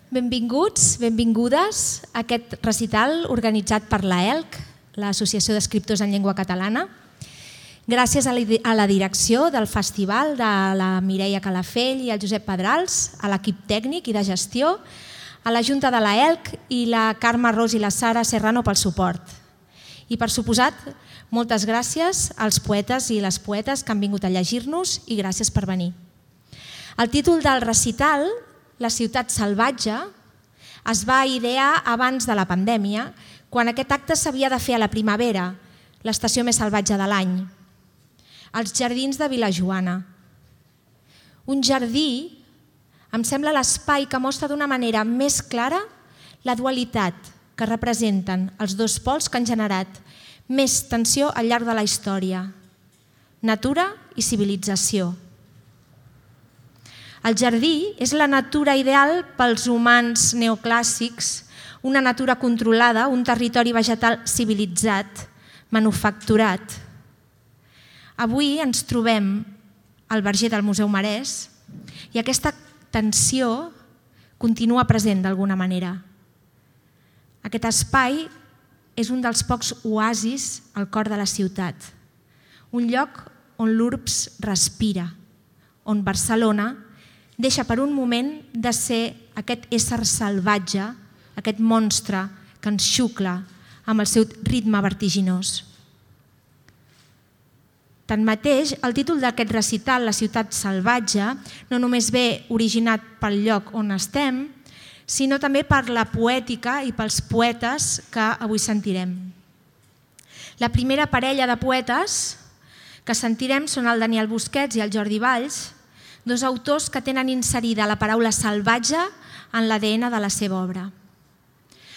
Benvinguts, benvingudes a aquest recital organitzat per l'AELC, l'Associació d'Escriptors en Llengua Catalana. Gràcies a la direcció del festival, de la Mireia Calafell i el Josep Pedrals, a l'equip tècnic i de gestió, a la Junta de l'AELC i la Carme Ros i la Sara Serrano pel suport. I per suposat, moltes gràcies als poetes i les poetes que han vingut a llegir-nos i gràcies per venir. El títol del recital, La ciutat salvatge, es va idear abans de la pandèmia, quan aquest acte s'havia de fer a la primavera, l'estació més salvatge de l'any, als jardins de Vilajoana. Un jardí em sembla l'espai que mostra d'una manera més clara la dualitat que representen els dos pols que han generat més tensió al llarg de la història, natura i civilització. El jardí és la natura ideal pels humans neoclàssics, una natura controlada, un territori vegetal civilitzat, manufacturat. Avui ens trobem al verger del Museu Marès i aquesta tensió continua present d'alguna manera. Aquest espai és un dels pocs oasis al cor de la ciutat, un lloc on l'urbs respira, on Barcelona deixa per un moment de ser aquest ésser salvatge, aquest monstre que ens xucla amb el seu ritme vertiginós. Tanmateix, el títol d'aquest recital, La ciutat salvatge, no només ve originat pel lloc on estem, sinó també per la poètica i pels poetes que avui sentirem. La primera parella de poetes que sentirem són el Daniel Busquets i el Jordi Valls, dos autors que tenen inserida la paraula salvatge en l'ADN de la seva obra.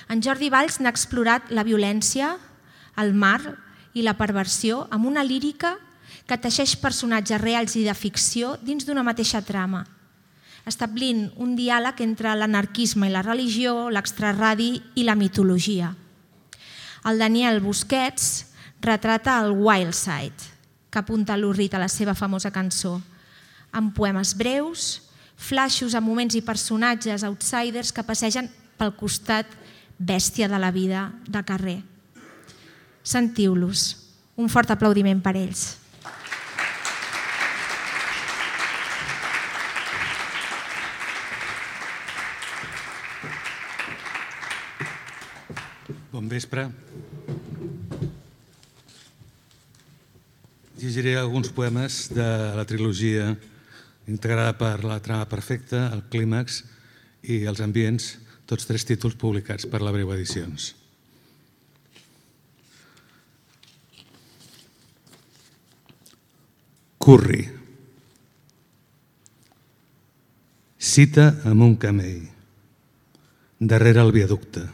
En Jordi Valls n'ha explorat la violència, el mar i la perversió amb una lírica que teixeix personatges reals i de ficció dins d'una mateixa trama, establint un diàleg entre l'anarquisme i la religió, l'extraradi i la mitologia. El Daniel Busquets retrata el Wild Side, que apunta l'Urrit a la seva famosa cançó, amb poemes breus, flaixos a moments i personatges outsiders que passegen pel costat bèstia de la vida de carrer. Sentiu-los. Un fort aplaudiment per ells. Bon vespre. Llegiré alguns poemes de la trilogia integrada per La trama perfecta, El clímax i Els ambients, tots tres títols publicats per la Breu Edicions. Curri. Cita amb un camell, darrere el viaducte.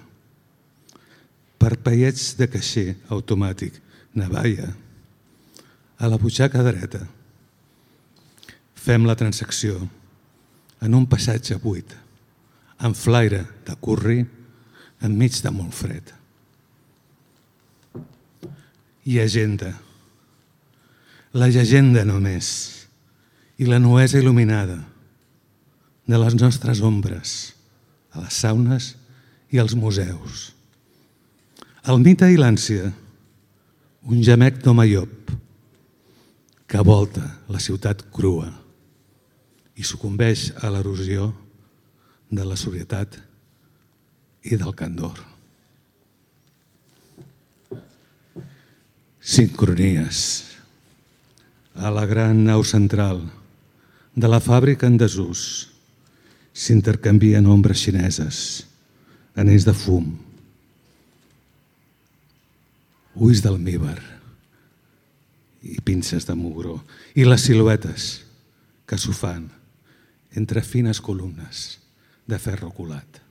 Parpellets de caixer automàtic, navalla, a la butxaca dreta. Fem la transacció en un passatge buit, amb flaire de curri, enmig de molt fred. I agenda. La llegenda només i la nuesa il·luminada de les nostres ombres a les saunes i als museus. El mite i l'ànsia, un gemec d'home llop que volta la ciutat crua i sucumbeix a l'erosió de la sobrietat i del candor. Sincronies. A la gran nau central de la fàbrica en desús s'intercanvien ombres xineses, anells de fum, ulls d'almívar i pinces de mugró, i les siluetes que s'ho fan entre fines columnes de ferro colat.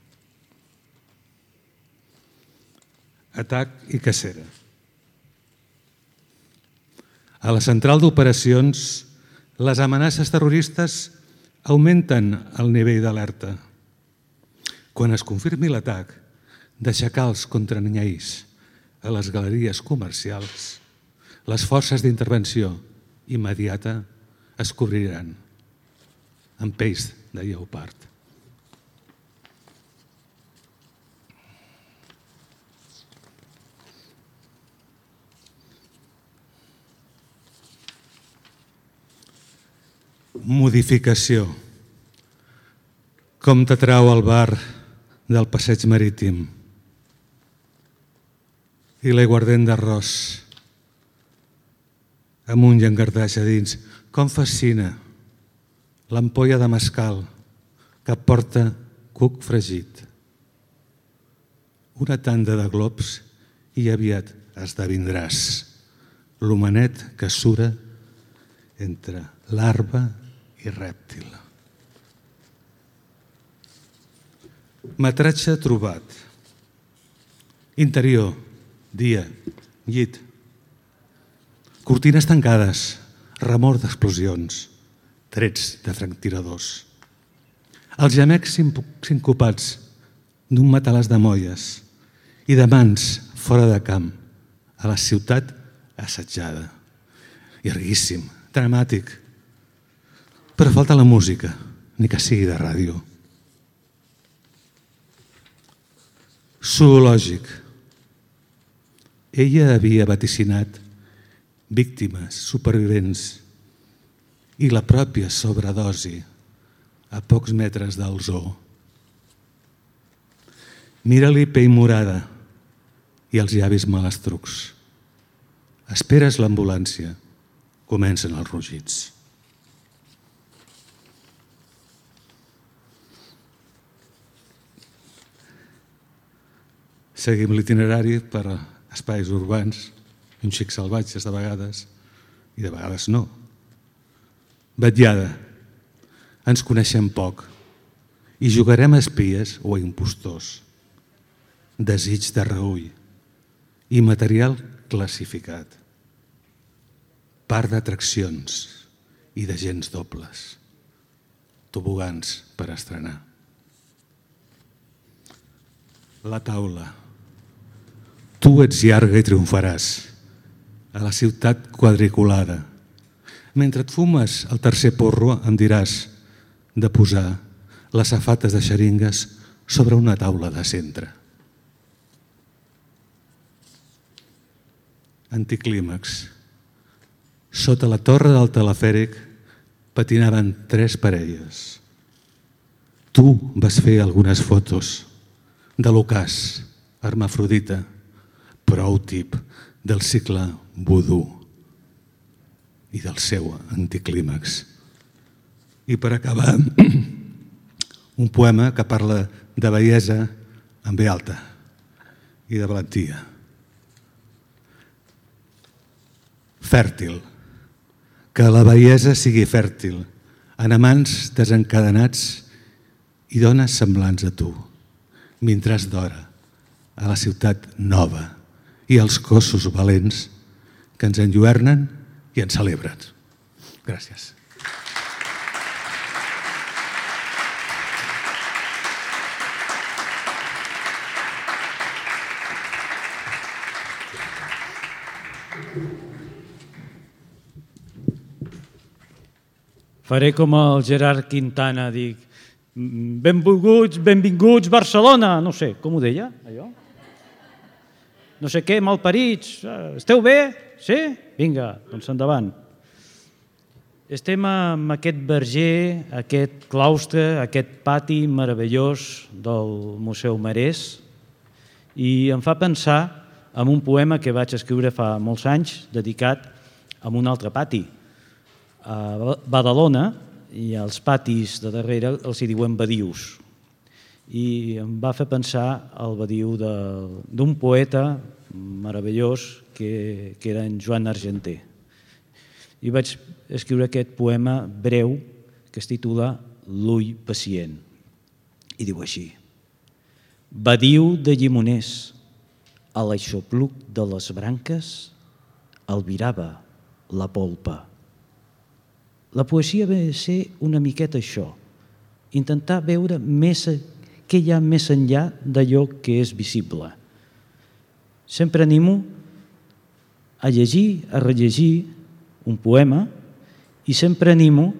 Atac i cacera. A la central d'operacions, les amenaces terroristes augmenten el nivell d'alerta. Quan es confirmi l'atac de xacals contra ninyais a les galeries comercials, les forces d'intervenció immediata es cobriran amb pells de lleopard. modificació. Com t'atrau el bar del passeig marítim i l'aiguardent d'arròs amb un llangardaix a dins. Com fascina l'ampolla de mescal que porta cuc fregit. Una tanda de glops i aviat esdevindràs l'homenet que sura entre larva i rèptil. Metratge trobat. Interior, dia, llit. Cortines tancades, remor d'explosions, trets de franctiradors. Els gemecs sincopats d'un matalàs de molles i de mans fora de camp a la ciutat assetjada. Llarguíssim, dramàtic. Però falta la música, ni que sigui de ràdio. Zoològic. Ella havia vaticinat víctimes, supervivents i la pròpia sobredosi a pocs metres del zoo. Mira-li pell morada i els llavis malastrucs. Esperes l'ambulància. Comencen els rugits. Seguim l'itinerari per espais urbans, un xic salvatges de vegades, i de vegades no. Vetllada. Ens coneixem poc i jugarem a espies o a impostors. Desig de reüll i material classificat. Part d'atraccions i d'agents dobles. Tobogans per estrenar. La taula. Tu ets llarga i triomfaràs a la ciutat quadriculada. Mentre et fumes el tercer porro em diràs de posar les safates de xeringues sobre una taula de centre. Anticlímax. Sota la torre del telefèric patinaven 3 parelles. Tu vas fer algunes fotos de l'ocàs, hermafrodita, prou tip del cicle vudú i del seu anticlímax. I per acabar, un poema que parla de bellesa en ve alta i de valentia. Fèrtil. Que la bellesa sigui fèrtil en amants desencadenats i dones semblants a tu, mentre d'hora a la ciutat nova i els cossos valents que ens enlluernen i ens celebren. Gràcies. Faré com el Gerard Quintana, dic, benvinguts Barcelona, no sé, com ho deia, allò? No sé què, malparits, esteu bé? Sí? Vinga, doncs endavant. Estem en aquest verger, aquest claustre, aquest pati meravellós del Museu Marès i em fa pensar en un poema que vaig escriure fa molts anys dedicat a un altre pati, a Badalona, i als patis de darrere els hi diuen badius. I em va fer pensar el badiu d'un poeta meravellós que era en Joan Argenter. I vaig escriure aquest poema breu que es titula L'ull pacient. I diu així: badiu de llimoners, a l'aixopluc de les branques albirava la polpa. La poesia ve a ser una miqueta això, intentar veure què hi ha més enllà d'allò que és visible. Sempre animo a llegir, a rellegir un poema i sempre animo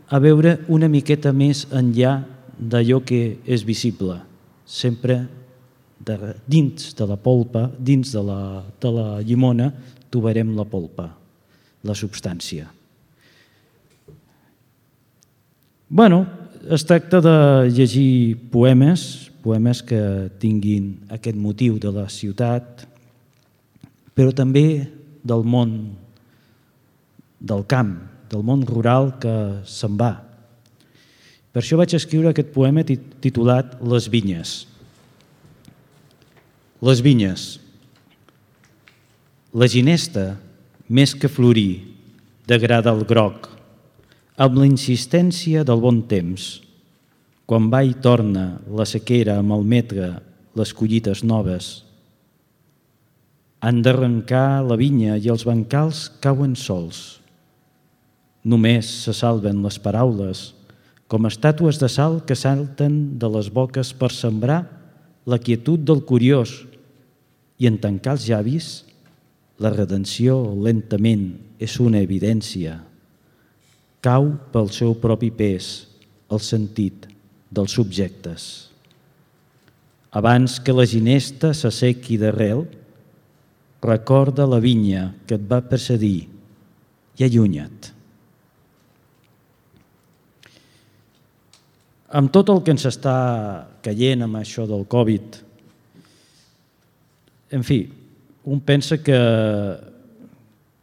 a veure una miqueta més enllà d'allò que és visible. Sempre dins de la polpa, dins de la llimona, trobarem la polpa, la substància. Bueno, es tracta de llegir poemes que tinguin aquest motiu de la ciutat, però també del món del camp, del món rural que se'n va. Per això vaig escriure aquest poema titulat Les vinyes. Les vinyes. La ginesta, més que florir, degrada el groc, amb la insistència del bon temps. Quan va i torna la sequera a malmetre les collites noves. Han d'arrencar la vinya i els bancals cauen sols. Només se salven les paraules, com estàtues de sal que salten de les boques per sembrar la quietud del curiós, i en tancar els llavis, la redenció lentament és una evidència. Cau pel seu propi pes el sentit dels subjectes. Abans que la ginesta s'assequi d'arrel, recorda la vinya que et va precedir i allunya't. Amb tot el que ens està caient amb això del Covid, en fi, un pensa que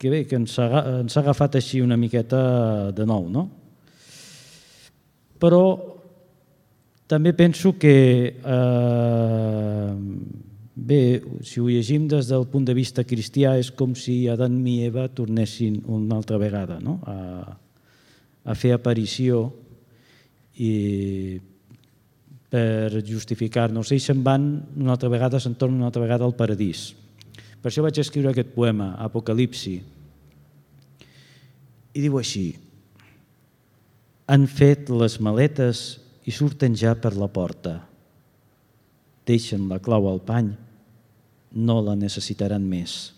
ens ha agafat així una miqueta de nou, no? Però també penso que, bé, si ho llegim des del punt de vista cristià, és com si Adam i Eva tornessin una altra vegada, no? A fer aparició i per justificar-nos. Ells se'n van una altra vegada, se'n tornen una altra vegada al paradís. Per això vaig escriure aquest poema, Apocalipsi, i diu així: han fet les maletes i surten ja per la porta. Deixen la clau al pany, no la necessitaran més.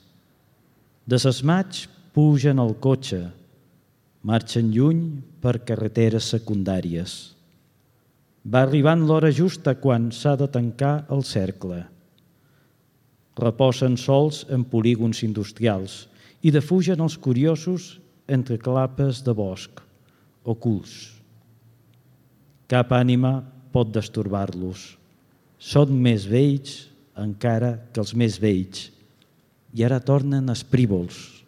Desesmats pugen al cotxe, marxen lluny per carreteres secundàries. Va arribant l'hora justa quan s'ha de tancar el cercle. Reposen sols en polígons industrials i defugen els curiosos entre clapes de bosc, ocults. Cap ànima pot destorbar-los. Són més vells encara que els més vells i ara tornen esprívols.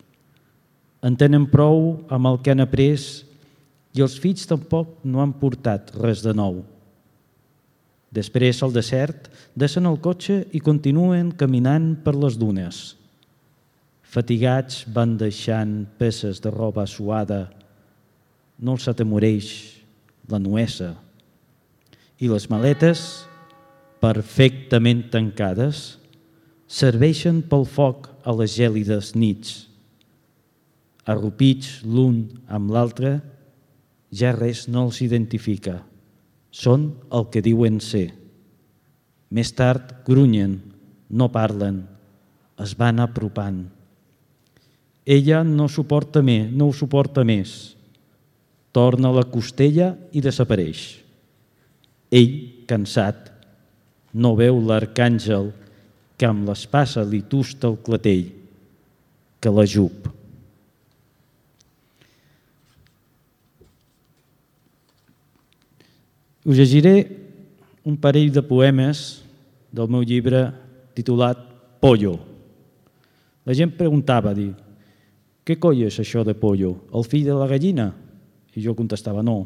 En tenen prou amb el que han après i els fills tampoc no han portat res de nou. Després, al desert, deixen el cotxe i continuen caminant per les dunes. Fatigats van deixant peces de roba suada. No els atemoreix la nuesa. I les maletes, perfectament tancades, serveixen pel foc a les gèlides nits. Arrupits l'un amb l'altre, ja res no els identifica. Són el que diuen ser. Més tard grunyen, no parlen, es van apropant. Ella no ho suporta més. Torna a la costella i desapareix. Ell, cansat, no veu l'arcàngel que amb l'espasa li tusta el clatell, que l'ajup. Us llegiré un parell de poemes del meu llibre titulat Pollo. La gent preguntava, què coi és això de pollo? El fill de la gallina? I jo contestava, no.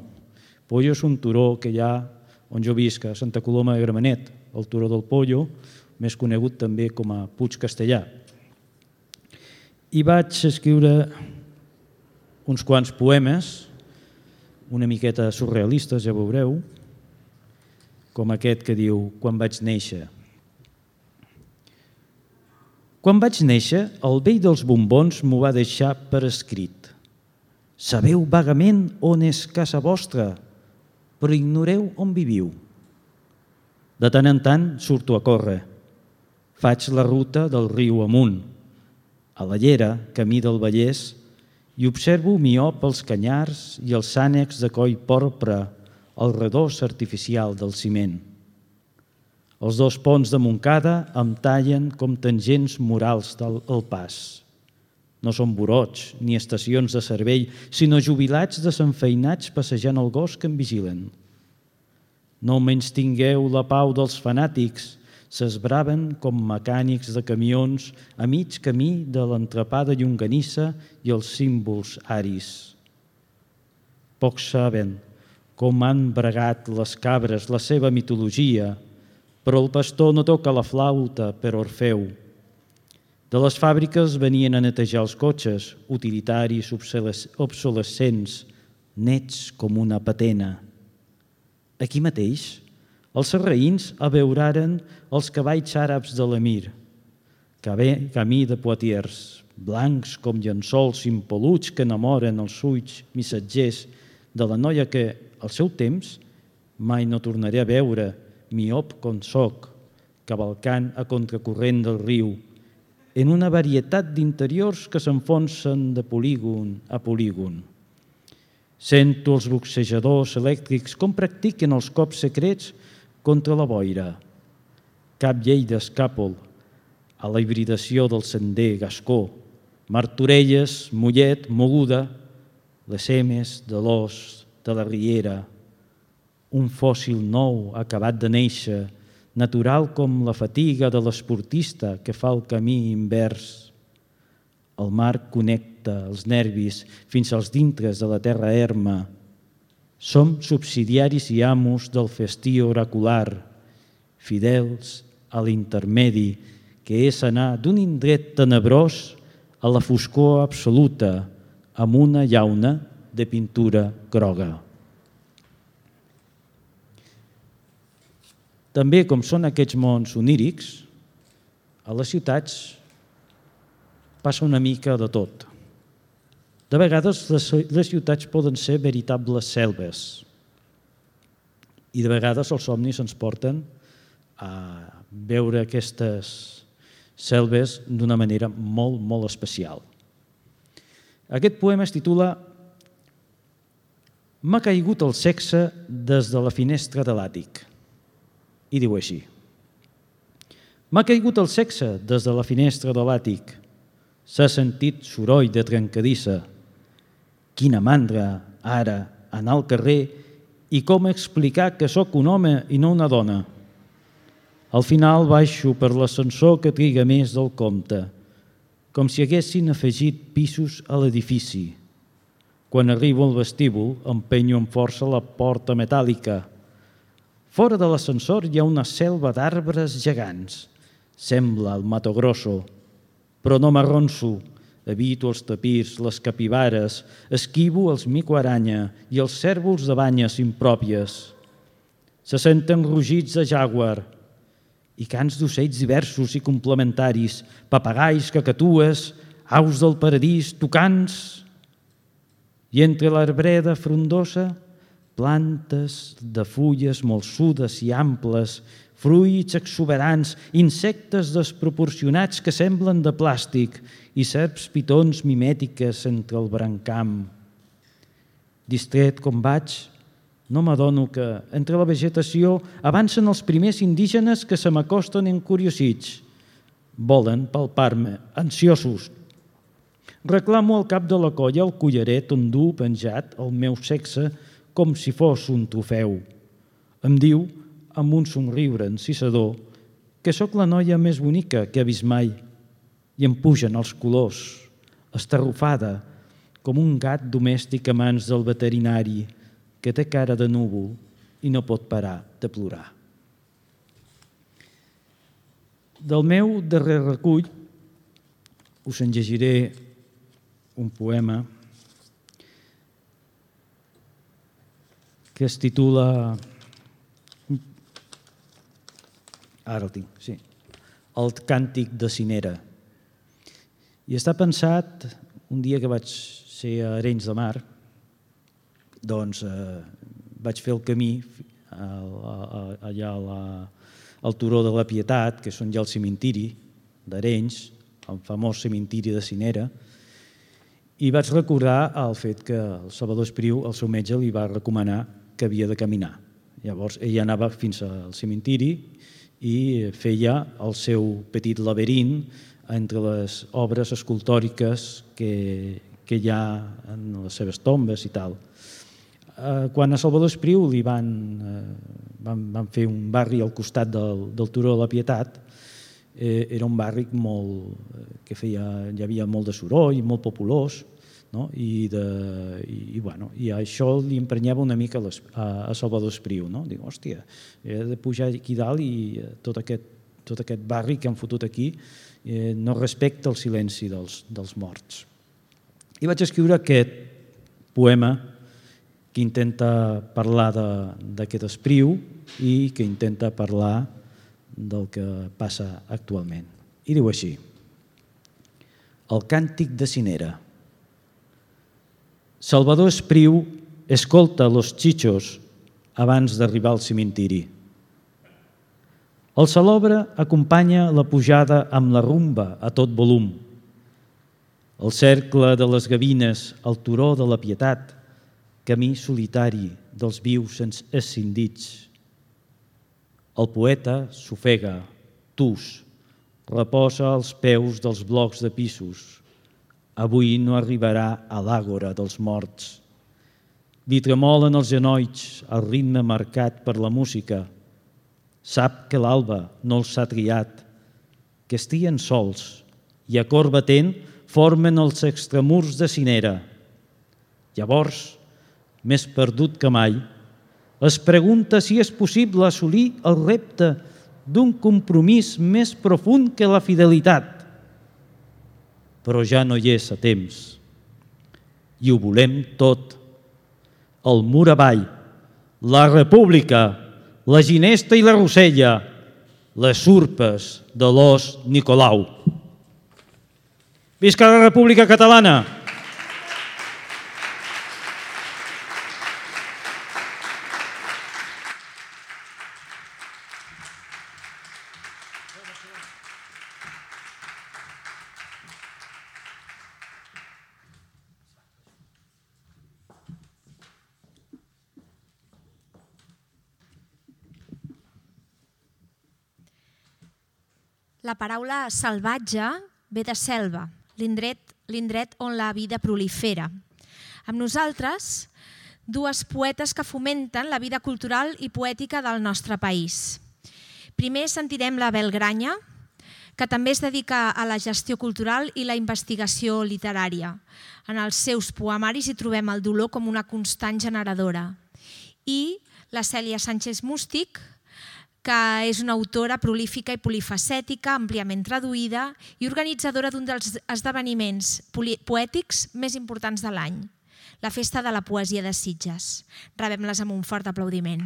Pollo és un turó que hi ha on jo visc, a Santa Coloma de Gramenet, el turó del Pollo, més conegut també com a Puig Castellà. I vaig escriure uns quants poemes, una miqueta surrealistes, ja veureu, com aquest que diu Quan vaig néixer. Quan vaig néixer, el vell dels bombons m'ho va deixar per escrit. Sabeu vagament on és casa vostra, però ignoreu on viviu. De tant en tant surto a córrer. Faig la ruta del riu amunt, a la llera, camí del Vallès, i observo miop els canyars i els ànecs de coll porpra, el redós artificial del ciment. Els dos ponts de Montcada em tallen com tangents morals al pas. No són burots ni estacions de servei, sinó jubilats desenfeinats passejant el gos que en vigilen. No menystingueu la pau dels fanàtics, s'esbraven com mecànics de camions a mig camí de l'entrepà de llonganissa i els símbols aris. Pocs saben com han bregat les cabres la seva mitologia, però el pastor no toca la flauta per Orfeu. De les fàbriques venien a netejar els cotxes, utilitaris obsolescents, nets com una patena. Aquí mateix, els sarraïns abeuraren els cavalls àrabs de l'emir, camí de Poitiers, blancs com llençols impoluts que enamoren els ulls missatgers de la noia que, al seu temps, mai no tornaré a veure, miop com soc, cavalcant a contracorrent del riu, en una varietat d'interiors que s'enfonsen de polígon a polígon. Sento els boxejadors elèctrics com practiquen els cops secrets contra la boira. Cap llei d'escàpol a la hibridació del sender gascó, Martorelles, Mollet, Moguda, les emes de l'os de la riera, un fòssil nou acabat de néixer, natural com la fatiga de l'esportista que fa el camí invers. El mar connecta els nervis fins als dintres de la terra erma. Som subsidiaris i amos del festí oracular, fidels a l'intermedi, que és anar d'un indret tenebrós a la foscor absoluta, amb una llauna de pintura groga. També, com són aquests mons onírics, a les ciutats passa una mica de tot. De vegades les ciutats poden ser veritables selves i de vegades els somnis ens porten a veure aquestes selves d'una manera molt, molt especial. Aquest poema es titula «M'ha caigut el sexe des de la finestra de l'àtic». I diu així: «M'ha caigut el sexe des de la finestra de l'àtic. S'ha sentit soroll de trencadissa. Quina mandra, ara, anar al carrer i com explicar que sóc un home i no una dona. Al final baixo per l'ascensor que triga més del compte, com si haguessin afegit pisos a l'edifici. Quan arribo al vestíbul, empenyo amb força la porta metàl·lica. Fora de l'ascensor hi ha una selva d'arbres gegants. Sembla el Mato Grosso, però no m'arronso. Evito els tapirs, les capibares, esquivo els mico-aranya i els cèrvols de banyes impròpies. Se senten rugits de jàguar i cants d'ocells diversos i complementaris, papagais, cacatues, aus del paradís, tucans. I entre l'arbreda frondosa, plantes de fulles molsudes i amples, fruits exuberants, insectes desproporcionats que semblen de plàstic i serps pitons mimètiques entre el brancam. Distret com vaig, no m'adono que, entre la vegetació, avancen els primers indígenes que se m'acosten encuriosits. Volen palpar-me, ansiosos. Reclamo al cap de la colla el collaret on du penjat el meu sexe com si fos un trofeu. Em diu, amb un somriure encisador, que sóc la noia més bonica que ha vist mai, i em pugen els colors, estarrufada, com un gat domèstic a mans del veterinari, que té cara de núvol i no pot parar de plorar. Del meu darrer recull us en llegiré un poema que es titula, ara el tinc, sí, El càntic de Cinera. I està pensat, un dia que vaig ser a Arenys de Mar, doncs vaig fer el camí allà al turó de la Pietat, que són ja el cementiri d'Arenys, el famós cementiri de Cinera, i vaig recordar el fet que el Salvador Espriu, el seu metge, li va recomanar que havia de caminar. Llavors ell anava fins al cementiri i feia el seu petit laberint entre les obres escultòriques que hi ha en les seves tombes i tal. Quan a Salvador Espriu li van fer un barri al costat del Turó de la Pietat, era un barri que hi havia molt de soroll, molt populós, no? I això li emprenyava una mica a Salvador Espriu. Diu, hòstia, he de pujar aquí dalt i tot aquest barri que han fotut aquí no respecta el silenci dels morts. I vaig escriure aquest poema que intenta parlar d'aquest Espriu i que intenta parlar del que passa actualment. I diu així: el càntic de Cinera. Salvador Espriu escolta los chichos abans d'arribar al cimentiri. El salobre acompanya la pujada amb la rumba a tot volum. El cercle de les gavines al turó de la Pietat, camí solitari dels vius escindits. El poeta s'ofega, tus, reposa als peus dels blocs de pisos. Avui no arribarà a l'àgora dels morts. Li tremolen els genolls al ritme marcat per la música. Sap que l'alba no els ha triat, que estien sols i a cor batent formen els extramurs de Cinera. Llavors, més perdut que mai, es pregunta si és possible assolir el repte d'un compromís més profund que la fidelitat. Però ja no hi és a temps. I ho volem tot. El mur avall, la república, la ginesta i la rosella, les urpes de l'os Nicolau. Visca la República Catalana! La paraula salvatge ve de selva, l'indret on la vida prolifera. Amb nosaltres, dues poetes que fomenten la vida cultural i poètica del nostre país. Primer sentirem la Bel Granya, que també es dedica a la gestió cultural i la investigació literària. En els seus poemaris hi trobem el dolor com una constant generadora. I la Cèlia Sánchez Mústic, que és una autora prolífica i polifacètica, àmpliament traduïda i organitzadora d'un dels esdeveniments poètics més importants de l'any, la Festa de la Poesia de Sitges. Rebem-les amb un fort aplaudiment.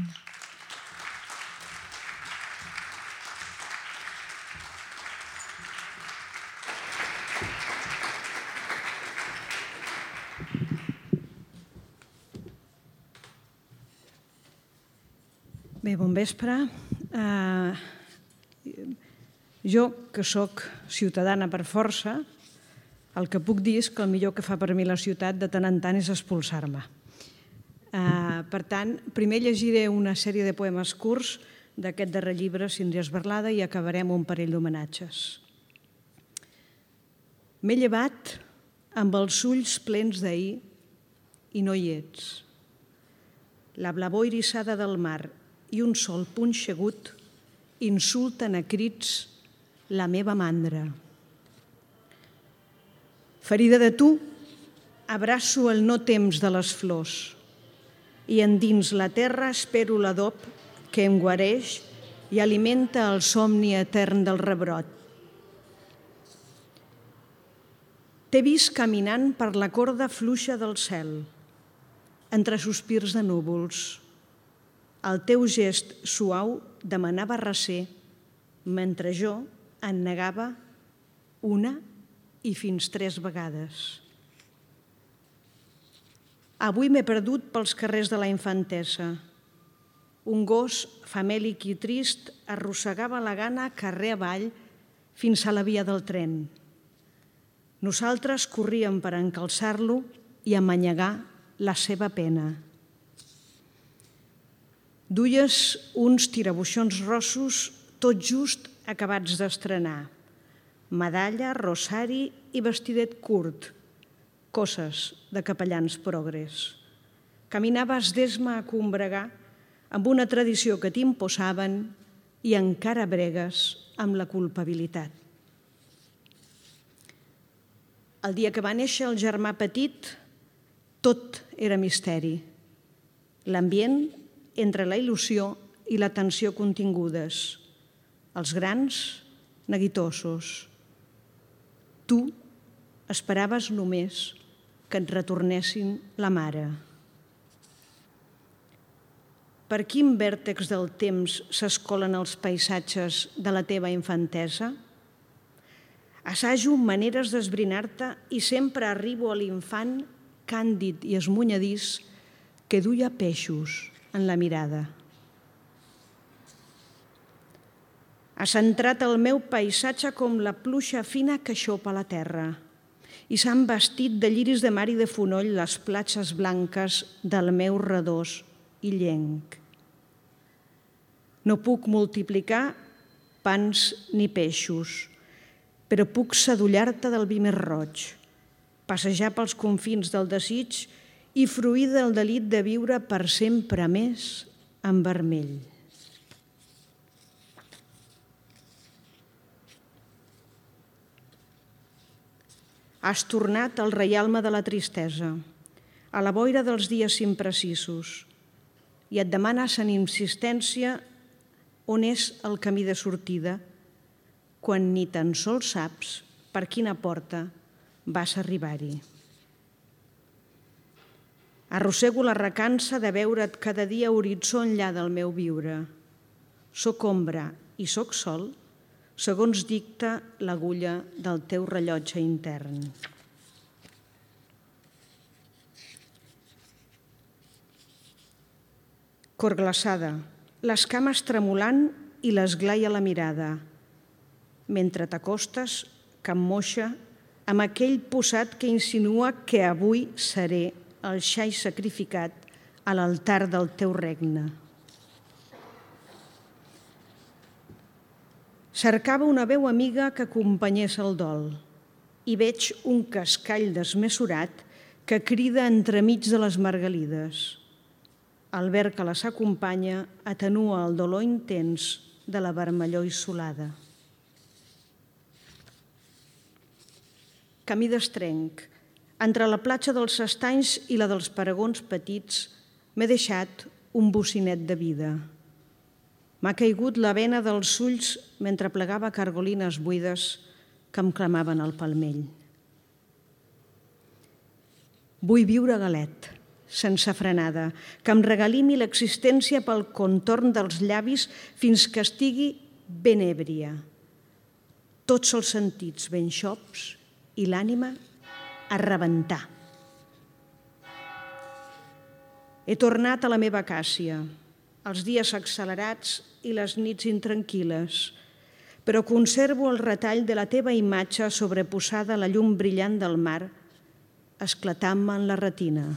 Bé, bon vespre. Jo, que sóc ciutadana per força, el que puc dir és que el millor que fa per mi la ciutat de tant en tant és expulsar-me. Per tant, primer llegiré una sèrie de poemes curts d'aquest darrer llibre, Síndria Esberlada, i acabarem un parell d'homenatges. M'he llevat amb els ulls plens d'ahir i no hi ets. La blavor irissada del mar i un sol punxegut insulten a crits la meva mandra. Ferida de tu, abraço el no temps de les flors i endins la terra espero l'adob que em guareix i alimenta el somni etern del rebrot. T'he vist caminant per la corda fluixa del cel, entre sospirs de núvols. El teu gest suau demanava recer, mentre jo en negava una i fins 3 vegades. Avui m'he perdut pels carrers de la infantesa. Un gos famèlic i trist arrossegava la gana carrer avall fins a la via del tren. Nosaltres corríem per encalçar-lo i amanyegar la seva pena. Duies uns tirabuixons rossos tot just acabats d'estrenar. medalla, rosari i vestidet curt, coses de capellans progres. Caminaves d'esma a combregar amb una tradició que t'imposaven i encara bregues amb la culpabilitat. El dia que va néixer el germà petit, tot era misteri. L'ambient entre la il·lusió i la tensió contingudes. Els grans, neguitosos. Tu esperaves només que et retornessin la mare. Per quin vèrtex del temps s'escolen els paisatges de la teva infantesa? Assajo maneres d'esbrinar-te i sempre arribo a l'infant càndid i esmunyadís que duia peixos en la mirada. Ha centrat el meu paisatge com la pluja fina que xopa la terra i s'han vestit de lliris de mar i de fonoll les platges blanques del meu redós illenc. No puc multiplicar pans ni peixos, però puc sadollar-te del vi més roig, passejar pels confins del desig i fruir del delit de viure per sempre més en vermell. Has tornat al reialme de la tristesa, a la boira dels dies imprecisos, i et demanes en insistència on és el camí de sortida, quan ni tan sols saps per quina porta vas arribar-hi. Arrossego la recança de veure't cada dia horitzó enllà del meu viure. Soc ombra i soc sol, segons dicta l'agulla del teu rellotge intern. Cor glaçada, les cames tremolant i l'esglai a la mirada, mentre t'acostes, cap moixa, amb aquell posat que insinua que avui seré el xai sacrificat a l'altar del teu regne. Cercava una veu amiga que acompanyés el dol i veig un cascall desmesurat que crida entremig de les margalides. El verd que les acompanya atenua el dolor intens de la vermellor issolada. Camí d'estrenc, entre la platja dels estanys i la dels paragons petits, m'he deixat un bocinet de vida. M'ha caigut la vena dels ulls mentre plegava cargolines buides que em clamaven al palmell. Vull viure galet, sense frenada, que em regalimi l'existència pel contorn dels llavis fins que estigui ben èbria. Tots els sentits ben xops i l'ànima a rebentar. He tornat a la meva acàcia, els dies accelerats i les nits intranquil·les, però conservo el retall de la teva imatge sobreposada a la llum brillant del mar, esclatant-me en la retina.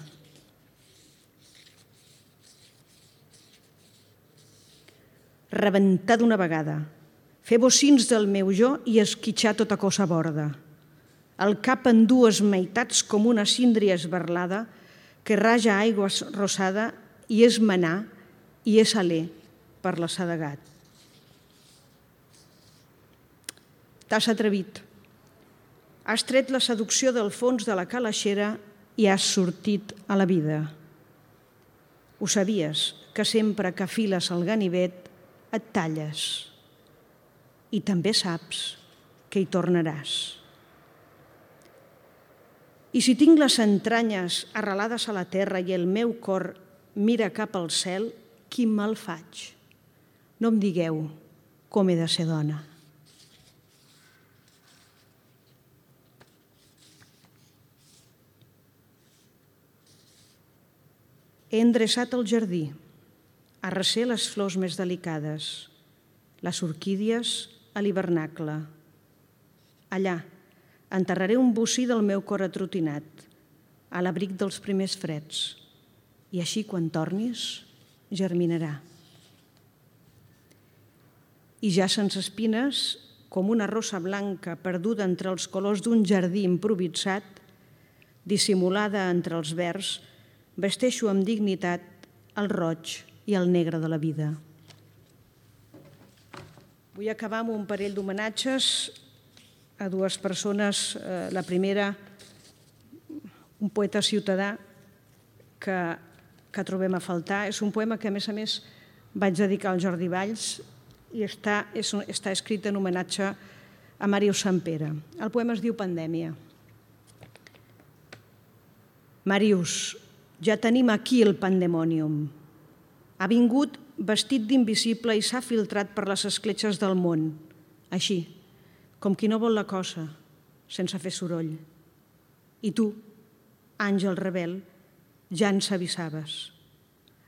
Rebentar d'una vegada, fer bocins del meu jo i esquitxar tota cosa borda. El cap en dues meitats com una síndria esberlada que raja aigua rosada i és manar i és alè per l'assedegat. T'has atrevit. Has tret la seducció del fons de la calaixera i has sortit a la vida. Ho sabies, que sempre que afiles el ganivet et talles. I també saps que hi tornaràs. I si tinc les entranyes arrelades a la terra i el meu cor mira cap al cel, quin mal faig? No em digueu com he de ser dona. He endreçat el jardí, arrecer les flors més delicades, les orquídies a l'hivernacle. Allà enterraré un bocí del meu cor atrotinat, a l'abric dels primers freds, i així, quan tornis, germinarà. I ja sense espines, com una rosa blanca perduda entre els colors d'un jardí improvisat, dissimulada entre els verds, vesteixo amb dignitat el roig i el negre de la vida. Vull acabar amb un parell d'homenatges a dues persones. La primera, un poeta ciutadà que trobem a faltar. És un poema que, a més, vaig dedicar al Jordi Valls i està escrit en homenatge a Màrius Sampere. El poema es diu Pandèmia. Màrius, ja tenim aquí el pandemònium. Ha vingut vestit d'invisible i s'ha filtrat per les escletxes del món, així, com qui no vol la cosa, sense fer soroll. I tu, àngel rebel, ja ens avisaves.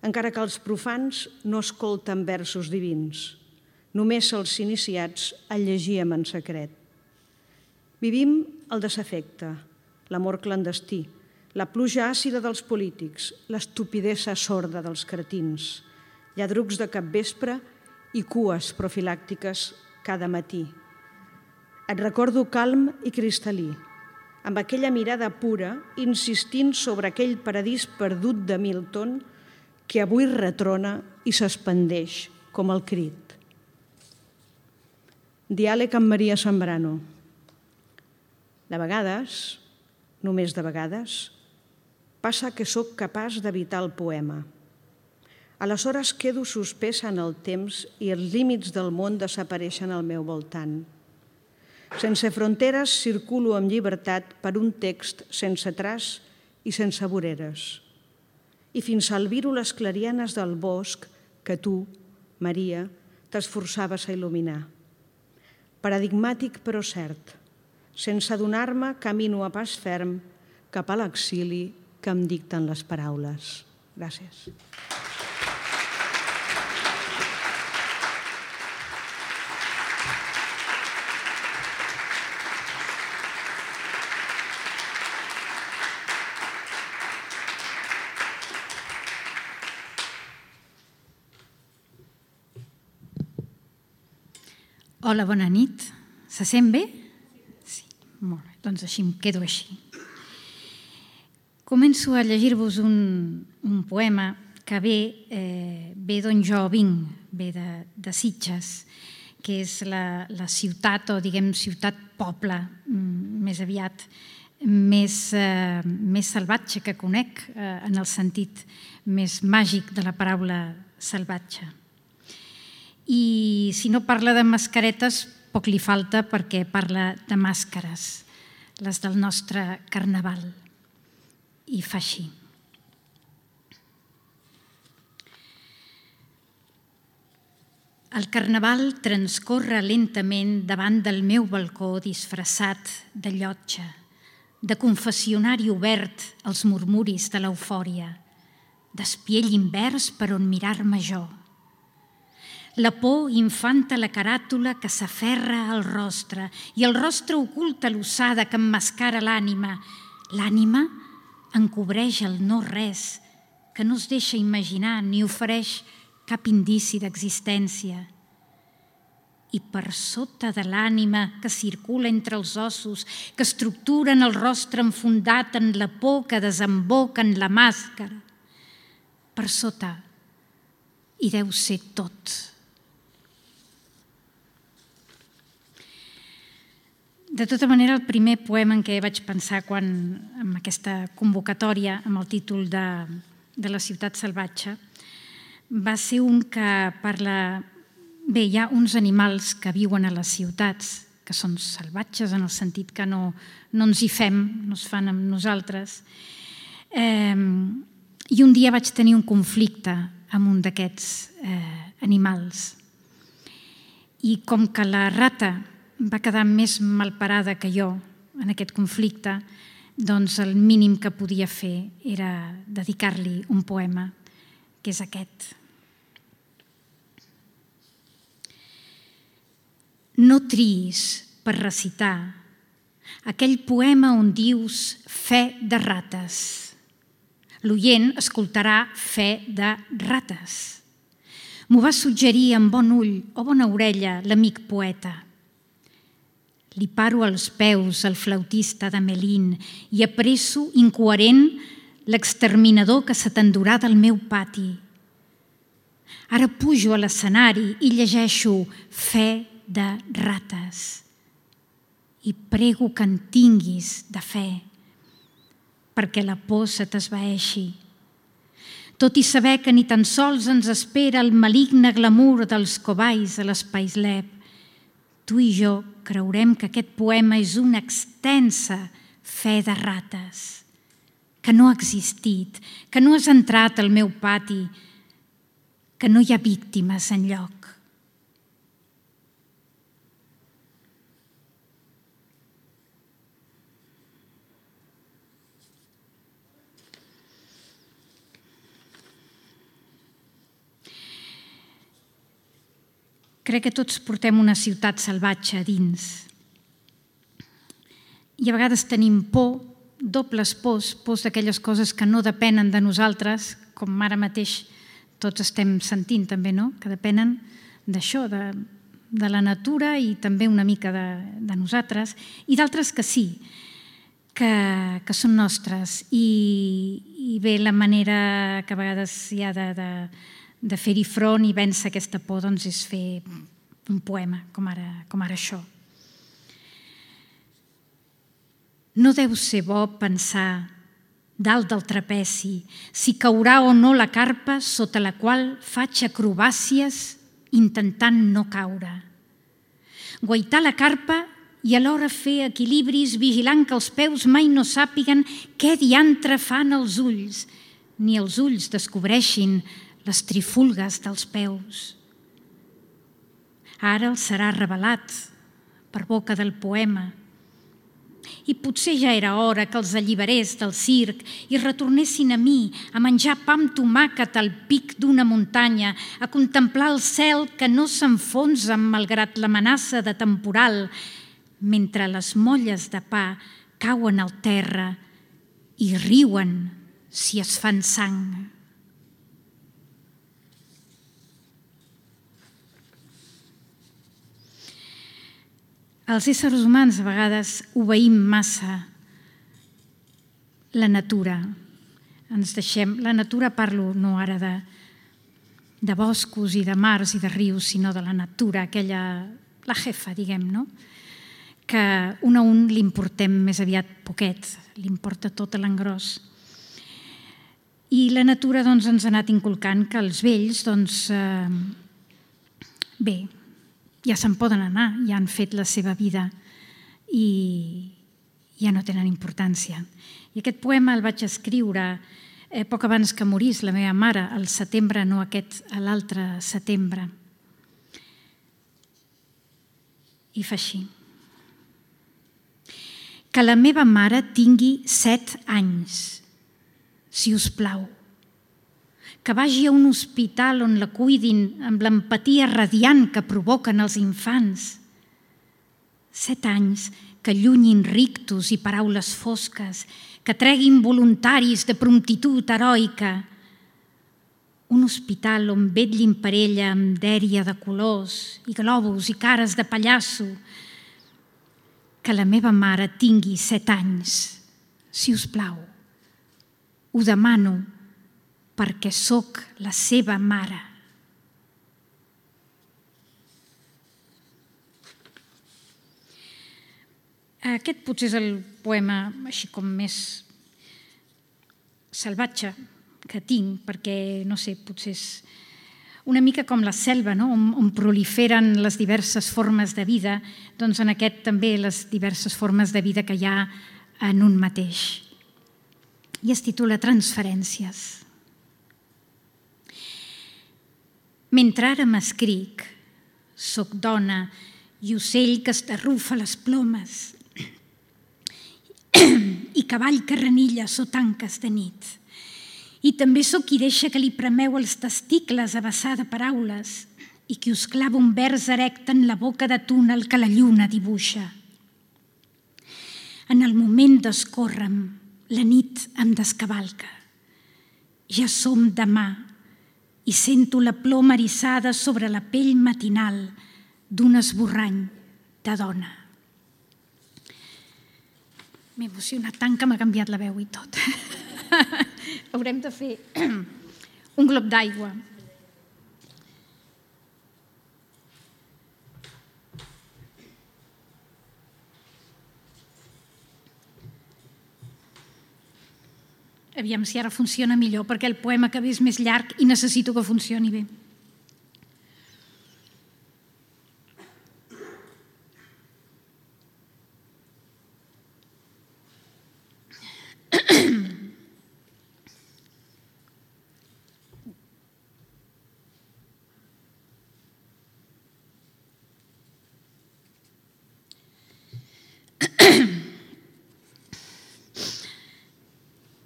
Encara que els profans no escolten versos divins, només els iniciats el llegíem en secret. Vivim el desafecte, l'amor clandestí, la pluja àcida dels polítics, l'estupidesa sorda dels cretins, lladrucs de capvespre i cues profilàctiques cada matí. Et recordo calm i cristal·lí, amb aquella mirada pura, insistint sobre aquell paradís perdut de Milton que avui retrona i s'expandeix com el crit. Diàleg amb Maria Zambrano. De vegades, només de vegades, passa que sóc capaç d'evitar el poema. Aleshores quedo suspesa en el temps i els límits del món desapareixen al meu voltant. Sense fronteres circulo amb llibertat per un text sense traç i sense voreres. I fins a albiro les clarianes del bosc que tu, Maria, t'esforçaves a il·luminar. Paradigmàtic però cert. Sense adonar-me, camino a pas ferm cap a l'exili que em dicten les paraules. Gràcies. Hola, bona nit. Se sent bé? Sí, molt bé. Doncs així em quedo així. Començo a llegir-vos un poema que ve d'on jo vinc, ve de Sitges, que és la ciutat, o diguem ciutat-poble, més aviat, més salvatge que conec, en el sentit més màgic de la paraula salvatge. I si no parla de mascaretes, poc li falta perquè parla de màscares, les del nostre carnaval. I fa així. El carnaval transcorre lentament davant del meu balcó disfressat de llotja, de confessionari obert als murmuris de l'eufòria, d'espiell invers per on mirar-me jo. La por infanta la caràtula que s'aferra al rostre i el rostre oculta l'ossada que emmascara l'ànima. L'ànima encobreix el no-res que no es deixa imaginar ni ofereix cap indici d'existència. I per sota de l'ànima que circula entre els ossos, que estructuren el rostre enfundat en la por que desemboca en la màscara, per sota hi deu ser tot. De tota manera, el primer poema en què vaig pensar amb aquesta convocatòria, amb el títol de la ciutat salvatge, va ser un que parla... Bé, hi ha uns animals que viuen a les ciutats, que són salvatges en el sentit que no ens hi fem, no es fan amb nosaltres. I un dia vaig tenir un conflicte amb un d'aquests animals. I com que la rata va quedar més malparada que jo en aquest conflicte, doncs el mínim que podia fer era dedicar-li un poema, que és aquest. No triïs per recitar aquell poema on dius fe de rates. L'oient escoltarà fe de rates. M'ho va suggerir amb bon ull o bona orella l'amic poeta. Li paro als peus al flautista de Melin i apresso, incoherent, l'exterminador que se t'endurà del meu pati. Ara pujo a l'escenari i llegeixo Fe de rates i prego que en tinguis de fe, perquè la por se t'esvaeixi. Tot i saber que ni tan sols ens espera el maligne glamour dels cobais a l'Spaislab, tu i jo creurem que aquest poema és una extensa fe de rates, que no ha existit, que no has entrat al meu pati, que no hi ha víctimes enlloc. Crec que tots portem una ciutat salvatge a dins. I a vegades tenim por, dobles pors d'aquelles coses que no depenen de nosaltres, com ara mateix tots estem sentint també, no? Que depenen d'això, de la natura i també una mica de nosaltres, i d'altres que sí, que són nostres. I bé, la manera que a vegades hi ha de fer-hi front i vèncer aquesta por doncs és fer un poema, com ara això. No deu ser bo pensar dalt del trapeci si caurà o no la carpa sota la qual faig acrobàcies intentant no caure. Guaitar la carpa i alhora fer equilibris vigilant que els peus mai no sàpiguen què diantre fan els ulls, ni els ulls descobreixin les trifulgues dels peus. Ara els serà revelat per boca del poema. I potser ja era hora que els alliberés del circ i retornessin a mi, a menjar pa amb tomàquet al pic d'una muntanya, a contemplar el cel que no s'enfonsa malgrat l'amenaça de temporal, mentre les molles de pa cauen al terra i riuen si es fan sang. Els éssers humans a vegades obeïm massa la natura. Ens deixem... La natura, parlo no ara de boscos i de mars i de rius, sinó de la natura, aquella, la jefa, diguem, no? Que un a un l'importem més aviat poquet, l'importa tot a l'engròs. I la natura doncs, ens ha anat inculcant que els vells, doncs, bé, ja se'n poden anar, ja han fet la seva vida i ja no tenen importància. I aquest poema el vaig escriure poc abans que morís la meva mare, al setembre, no aquest, l'altre setembre. I fa així. Que la meva mare tingui 7 anys, si us plau. Que vagi a un hospital on la cuidin amb l'empatia radiant que provoquen els infants. 7 anys que llunyin rictus i paraules fosques, que treguin voluntaris de promptitud heroica. Un hospital on vetllin per ella amb dèria de colors i globus i cares de pallasso. Que la meva mare tingui 7 anys, si us plau. Ho demano perquè sóc la seva mare. Aquest potser és el poema així com més salvatge que tinc, perquè, no sé, potser és una mica com la selva, no? On proliferen les diverses formes de vida, doncs en aquest també les diverses formes de vida que hi ha en un mateix. I es titula Transferències. Mentre ara m'escric, soc dona i ocell que estarrufa les plomes i cavall que renilla sota tanques de nit. I també sóc qui deixa que li premeu els testicles a vessar de paraules i qui us clava un vers erecte en la boca de túnel que la lluna dibuixa. En el moment d'escórrer-me, la nit em descavalca. Ja som demà i sento la ploma eriçada sobre la pell matinal d'un esborrany de dona. M'he emocionat tant que m'ha canviat la veu i tot. Haurem de fer un glob d'aigua. Aviam si ara funciona millor, perquè el poema que ve és més llarg i necessito que funcioni bé.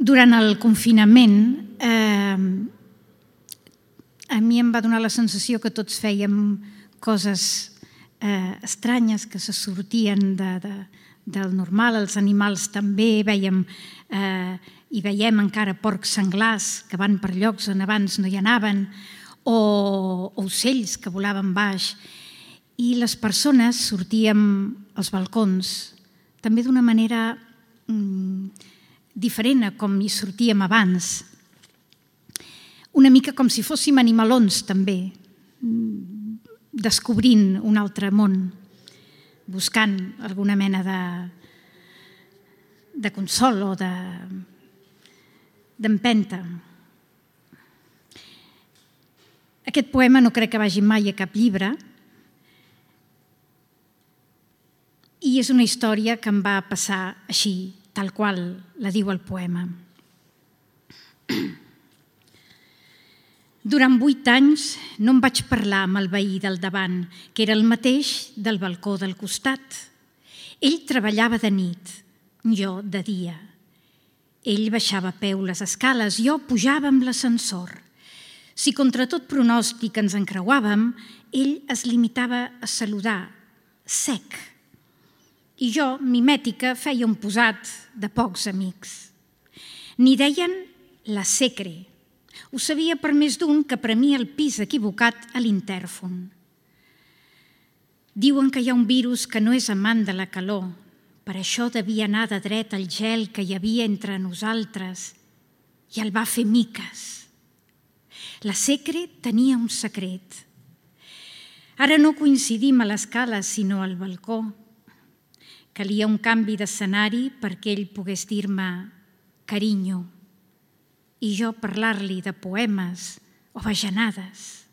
Durant el confinament, a mi em va donar la sensació que tots fèiem coses estranyes que se sortien del normal, els animals també, i veiem encara porcs senglars que van per llocs on abans no hi anaven, o ocells que volaven baix, i les persones sortíem als balcons també d'una manera diferent a com hi sortíem abans. Una mica com si fóssim animalons, també, descobrint un altre món, buscant alguna mena de consol o d'empenta. Aquest poema no crec que vagi mai a cap llibre, i és una història que em va passar així, tal qual la diu el poema. Durant 8 anys no em vaig parlar amb el veí del davant, que era el mateix del balcó del costat. Ell treballava de nit, jo de dia. Ell baixava a peu les escales, jo pujava amb l'ascensor. Si contra tot pronòstic ens encreuàvem, ell es limitava a saludar, sec. I jo, mimètica, feia un posat de pocs amics. N'hi deien la secre. Ho sabia per més d'un que premia el pis equivocat a l'intèrfon. Diuen que hi ha un virus que no és amant de la calor. Per això devia anar de dret al gel que hi havia entre nosaltres i el va fer miques. La secre tenia un secret. Ara no coincidim a l'escala, sinó al balcó. Calia un canvi d'escenari perquè ell pogués dir-me carinyo i jo parlar-li de poemes o bajanades.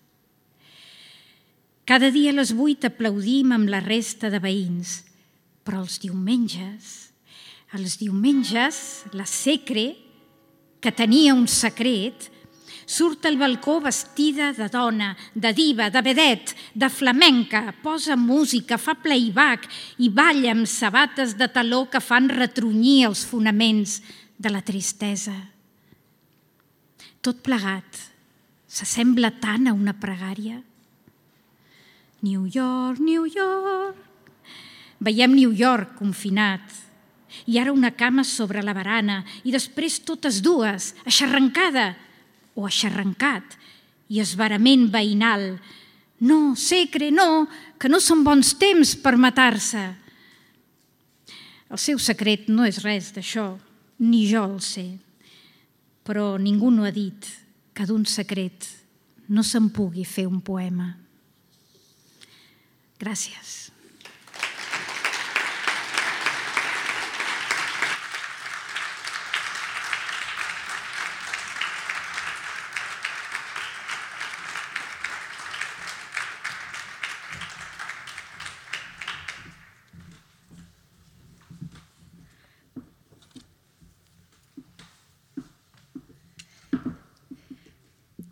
Cada dia a les 8 aplaudim amb la resta de veïns, però els diumenges, la secre, que tenia un secret, surt al balcó vestida de dona, de diva, de vedet, de flamenca, posa música, fa playback i balla amb sabates de taló que fan retrunyir els fonaments de la tristesa. Tot plegat s'assembla tant a una pregària. New York, New York. Veiem New York confinat i ara una cama sobre la barana i després totes dues, aixarrencada o aixarrencat i esverament veïnal. No, secre, no, que no són bons temps per matar-se. El seu secret no és res d'això, ni jo el sé, però ningú no ha dit que d'un secret no se'n pugui fer un poema. Gràcies.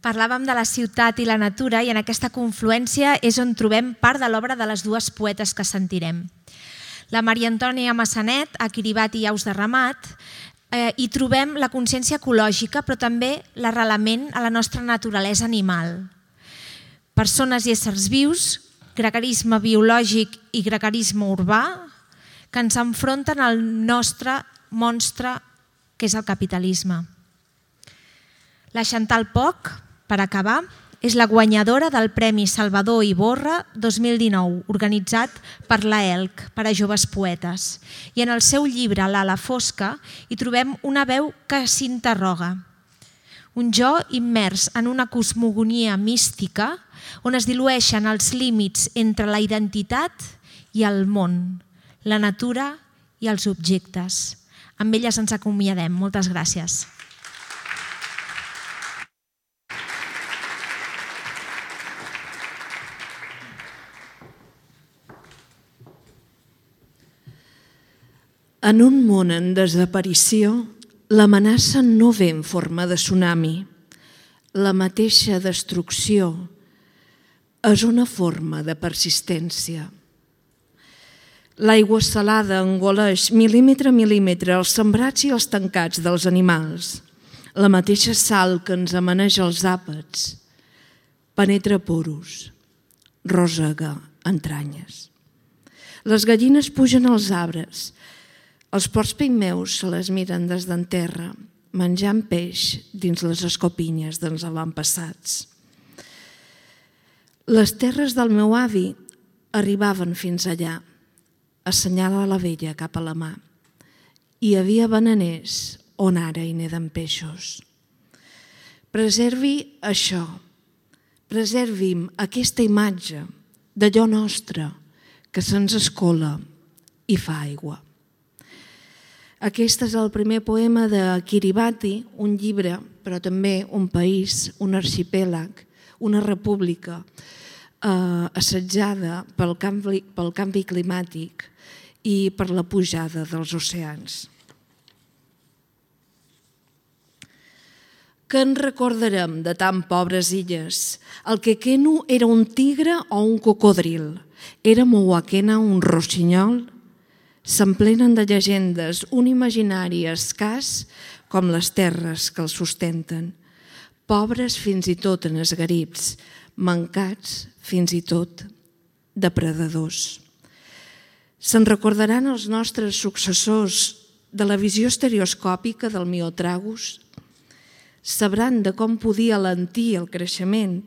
Parlàvem de la ciutat i la natura i en aquesta confluència és on trobem part de l'obra de les dues poetes que sentirem. La Maria Antònia Massanet, a Kiribat i Aus de Ramat, hi trobem la consciència ecològica però també l'arrelament a la nostra naturalesa animal. Persones i éssers vius, gregarisme biològic i gregarisme urbà que ens enfronten al nostre monstre que és el capitalisme. La Chantal Poch, per acabar, és la guanyadora del Premi Salvador Iborra 2019, organitzat per l'AELC, per a joves poetes. I en el seu llibre L'ala fosca hi trobem una veu que s'interroga. Un jo immers en una cosmogonia mística on es dilueixen els límits entre la identitat i el món, la natura i els objectes. Amb elles ens acomiadem. Moltes gràcies. En un món en desaparició, l'amenaça no ve en forma de tsunami. La mateixa destrucció és una forma de persistència. L'aigua salada engoleix mil·límetre a mil·límetre els sembrats i els tancats dels animals. La mateixa sal que ens amaneja els àpats penetra poros, rosega entranyes. Les gallines pugen als arbres. Els porcs pigmeus se les miren des d'en terra, menjant peix dins les escopinyes dels avantpassats. Les terres del meu avi arribaven fins allà, assenyala la vella cap a la mà. Hi havia bananers on ara hi neden peixos. Preservi això, preservim aquesta imatge d'allò nostre que se'ns escola i fa aigua. Aquest és el primer poema de Kiribati, un llibre, però també un país, un arxipèlag, una república assetjada pel canvi climàtic i per la pujada dels oceans. Què en recordarem de tan pobres illes? El quequeno era un tigre o un cocodril? Era Mouakena un rossinyol? S'emplenen de llegendes un imaginari escàs com les terres que els sustenten, pobres fins i tot en esgarips, mancats fins i tot depredadors. Se'n recordaran els nostres successors de la visió estereoscòpica del Miotragus? Sabran de com podia alentir el creixement,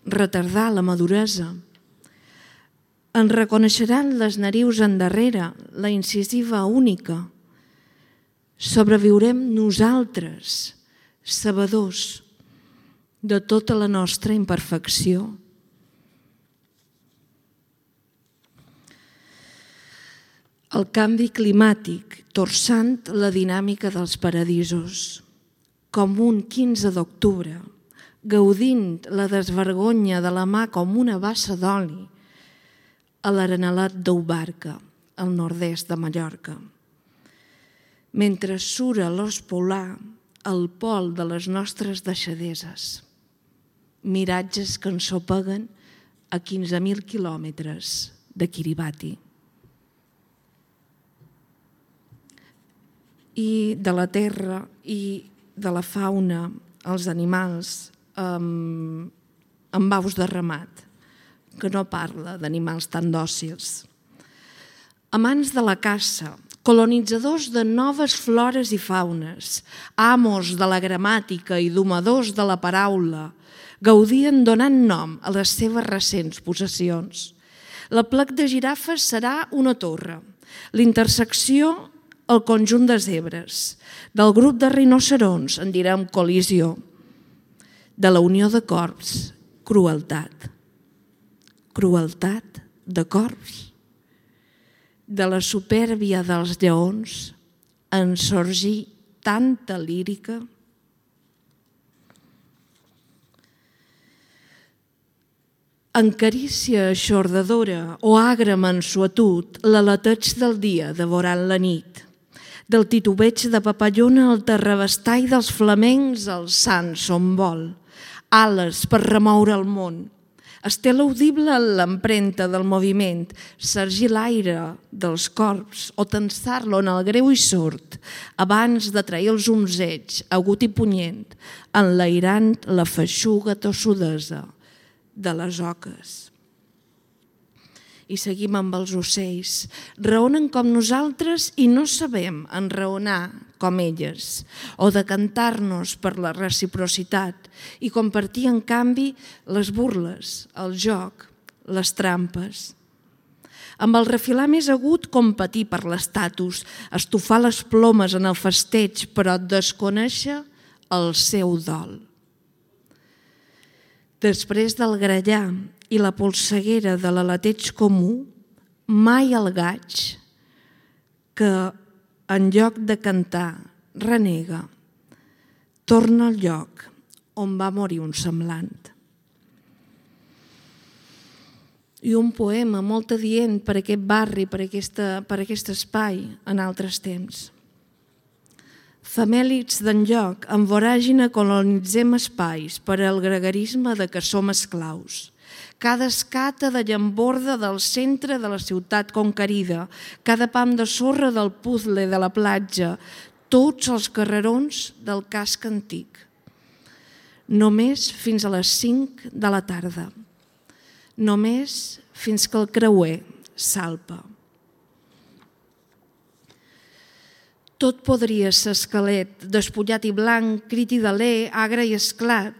retardar la maduresa. En reconeixeran les narius endarrere, la incisiva única. Sobreviurem nosaltres, sabedors de tota la nostra imperfecció. El canvi climàtic torçant la dinàmica dels paradisos, com un 15 d'octubre, gaudint la desvergonya de la mà com una bassa d'oli, a l'Arenalat d'Ubarca, al nord-est de Mallorca. Mentre sura l'os polar al pol de les nostres deixadeses, miratges que ensopeguen a 15.000 quilòmetres de Kiribati. I de la terra i de la fauna, els animals, amb aus de ramat, que no parla d'animals tan dòcils. Amants de la caça, colonitzadors de noves flores i faunes, amos de la gramàtica i domadors de la paraula, gaudien donant nom a les seves recents possessions. La plec de girafes serà una torre, l'intersecció el conjunt de zebres, del grup de rinocerons en direm col·lisió, de la unió de corps, crueltat. Crueltat de corps, de la supèrbia dels lleons en sorgir tanta lírica. En carícia aixordadora o agra mansuetud, l'aleteig del dia devorant la nit, del titubeig de papallona al terrabastall dels flamencs al sant son vol, ales per remoure el món, estela audible en l'empremta del moviment, sergir l'aire dels corps o tensar-lo en el greu i sord, abans de trair els onzeig, agut i punyent, enlairant la feixuga tossudesa de les oques. I seguim amb els ocells. Raonen com nosaltres i no sabem enraonar com elles, o de cantar-nos per la reciprocitat i compartir, en canvi, les burles, el joc, les trampes. Amb el refilar més agut, competir per l'estatus, estofar les plomes en el festeig, però desconèixer el seu dol. Després del grallar i la polseguera de l'aleteig comú, mai el gaig, que en lloc de cantar renega, torna al lloc on va morir un semblant. I un poema molt adient per aquest barri, per aquest espai en altres temps. Famèlics d'enlloc, en voràgina colonitzem espais per al gregarisme de què som esclaus. Cada escata de llamborda del centre de la ciutat conquerida, cada pam de sorra del puzzle de la platja, tots els carrerons del casc antic. Només fins a les 5 de la tarda. Només fins que el creuer salpa. Tot podria ser esquelet, despullat i blanc, crit i deler, agre i esclat,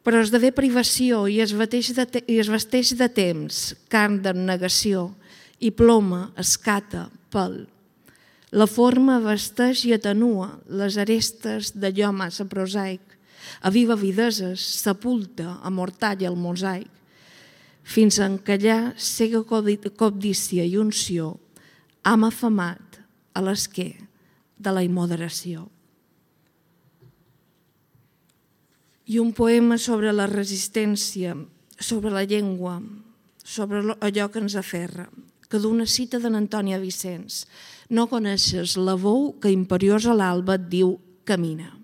però esdevé privació i es vesteix de temps, carn d'abnegació, i ploma, escata, pèl. La forma vesteix i atenua les arestes d'allò massa prosaic, aviva videses, sepulta, amortalla el mosaic, fins a encallar cega cobdícia i unció, ham afamat a l'esquer de la immoderació. I un poema sobre la resistència, sobre la llengua, sobre allò que ens aferra, que d'una cita d'en Antònia Vicenç: no coneixes la veu que imperiosa a l'alba et diu camina.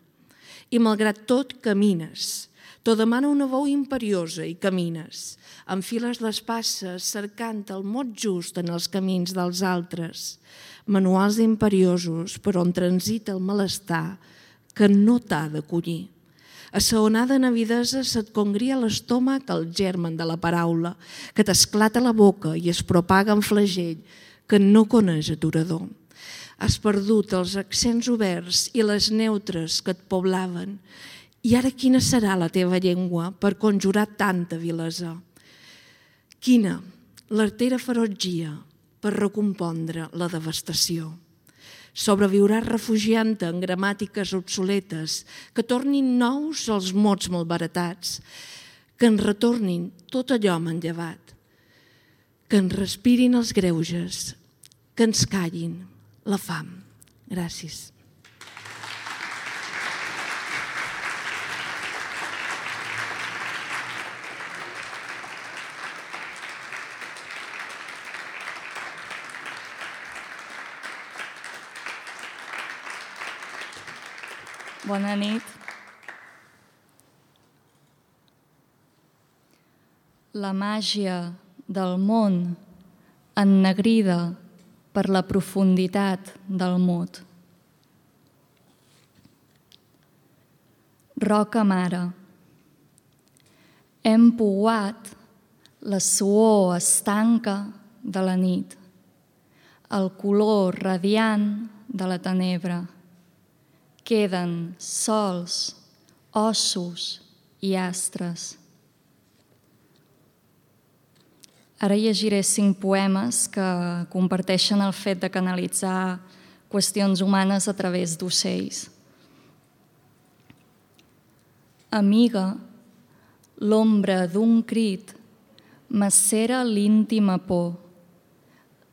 I malgrat tot camines. T'ho demana una veu imperiosa i camines. Enfiles les passes cercant el mot just en els camins dels altres. Manuals imperiosos per on transita el malestar que no t'ha de collir. A sa onada navidesa se't congria a l'estómac el germen de la paraula, que t'esclata la boca i es propaga en flagell que no coneix aturador. Has perdut els accents oberts i les neutres que et poblaven. I ara quina serà la teva llengua per conjurar tanta vilesa? Quina l'artera ferotgia per recompondre la devastació? Sobreviuràs refugiant-te en gramàtiques obsoletes que tornin nous els mots malbaratats, que ens retornin tot allò manllevat, que ens respirin els greuges, que ens callin la fam. Gràcies. Bona nit. La màgia del món ennegrida per la profunditat del mot. Roca mare. Hem pouat la suor estanca de la nit, el color radiant de la tenebra. Queden sols, ossos i astres. Ara llegiré 5 poemes que comparteixen el fet de canalitzar qüestions humanes a través d'ocells. Amiga, l'ombra d'un crit macera l'íntima por,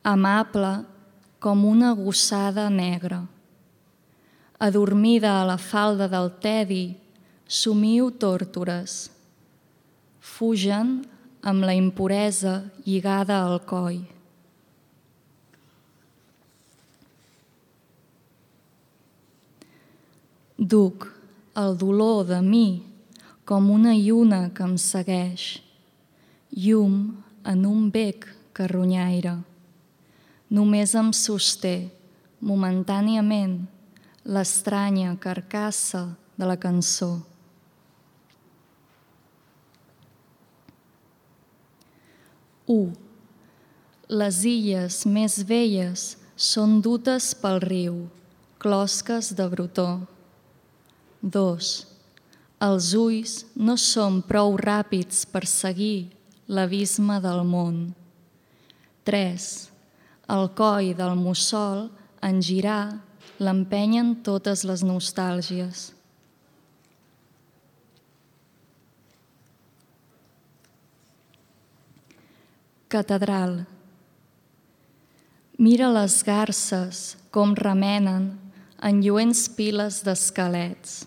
amable com una gossada negra. Adormida a la falda del tedi, somiu tórtores. Fugen amb la impuresa lligada al coll. Duc el dolor de mi com una lluna que em segueix, llum en un bec que ronyaire. Només em sosté, momentàniament, l'estranya carcassa de la cançó. Les illes més velles són dutes pel riu, closques de brotó. 2. Els ulls no són prou ràpids per seguir l'abisme del món. 3. El coll del mussol, en girar, l'empenyen totes les nostàlgies. Catedral. Mira les garses com remenen en lluents piles d'esquelets.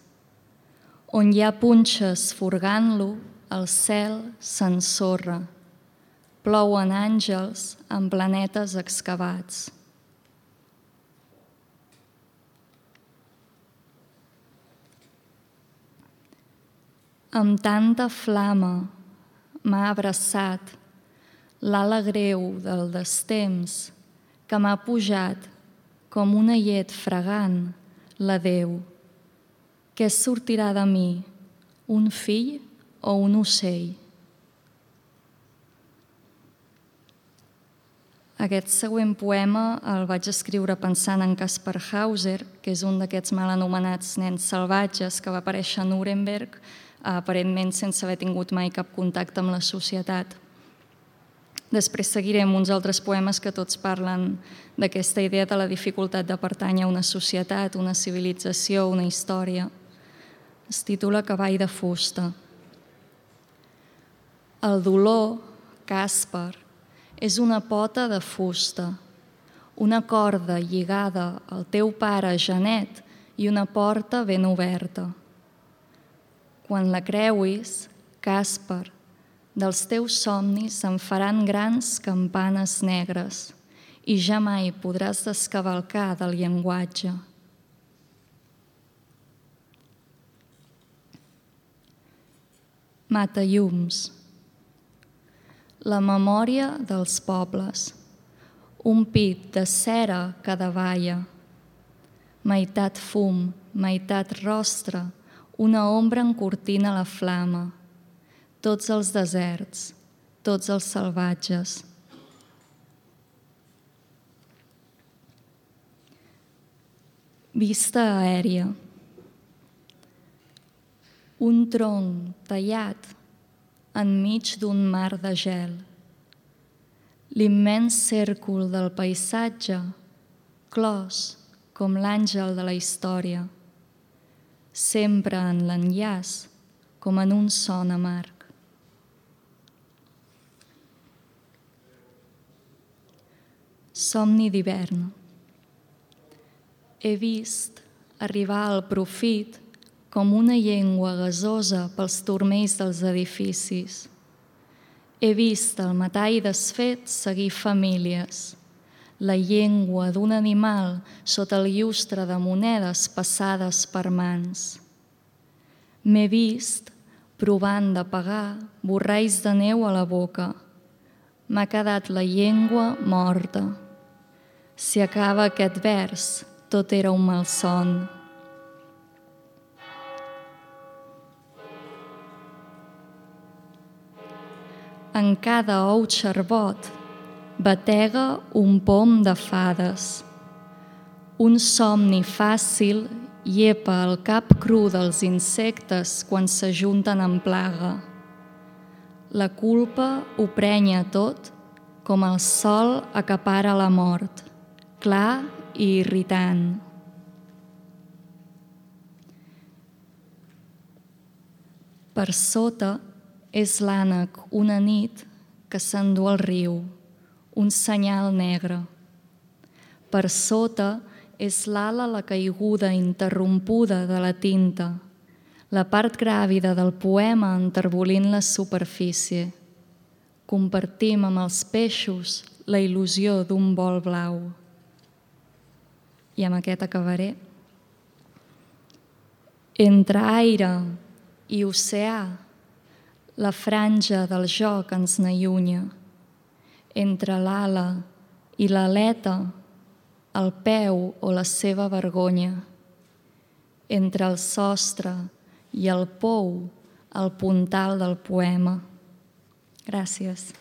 On hi ha punxes furgant-lo, el cel s'ensorra. Plouen àngels en planetes excavats. Amb tanta flama m'ha abraçat l'ala greu del destemps que m'ha pujat com una llet fregant l'adeu. Què sortirà de mi, un fill o un ocell? Aquest següent poema el vaig escriure pensant en Kaspar Hauser, que és un d'aquests mal anomenats nens salvatges que va aparèixer a Nuremberg, aparentment sense haver tingut mai cap contacte amb la societat. Després seguirem uns altres poemes que tots parlen d'aquesta idea de la dificultat de pertànyer a una societat, una civilització, una història. Es titula Cavall de fusta. El dolor, Kaspar, és una pota de fusta, una corda lligada al teu pare Janet i una porta ben oberta. Quan la creuis, Kaspar, dels teus somnis se'n faran grans campanes negres i ja mai podràs descavalcar del llenguatge. Matallums. La memòria dels pobles. Un pit de cera que davalla. Meitat fum, meitat rostre, una ombra encortina la flama. Tots els deserts, tots els salvatges. Vista aèria. Un tronc tallat enmig d'un mar de gel. L'immens cèrcol del paisatge, clos com l'àngel de la història, sempre en l'enllaç com en un son amarg. Somni d'hivern. He vist arribar al profit com una llengua gasosa pels turmells dels edificis. He vist el metall desfet seguir famílies, la llengua d'un animal sota el llustre de monedes passades per mans. M'he vist provant de pagar borralls de neu a la boca. M'ha quedat la llengua morta. Si acaba aquest vers, tot era un malson. En cada ou xarbot batega un pom de fades. Un somni fàcil llepa el cap cru dels insectes quan s'ajunten en plaga. La culpa ho prenya tot com el sol acapara la mort, clar i irritant. Per sota és l'ànec una nit que s'endú al riu, un senyal negre. Per sota és l'ala la caiguda interrompuda de la tinta, la part gràvida del poema enterbolint la superfície. Compartim amb els peixos la il·lusió d'un vol blau. I amb aquest acabaré. Entre aire i oceà, la franja del joc ens n'allunya. Entre l'ala i l'aleta, el peu o la seva vergonya. Entre el sostre i el pou, el puntal del poema. Gràcies.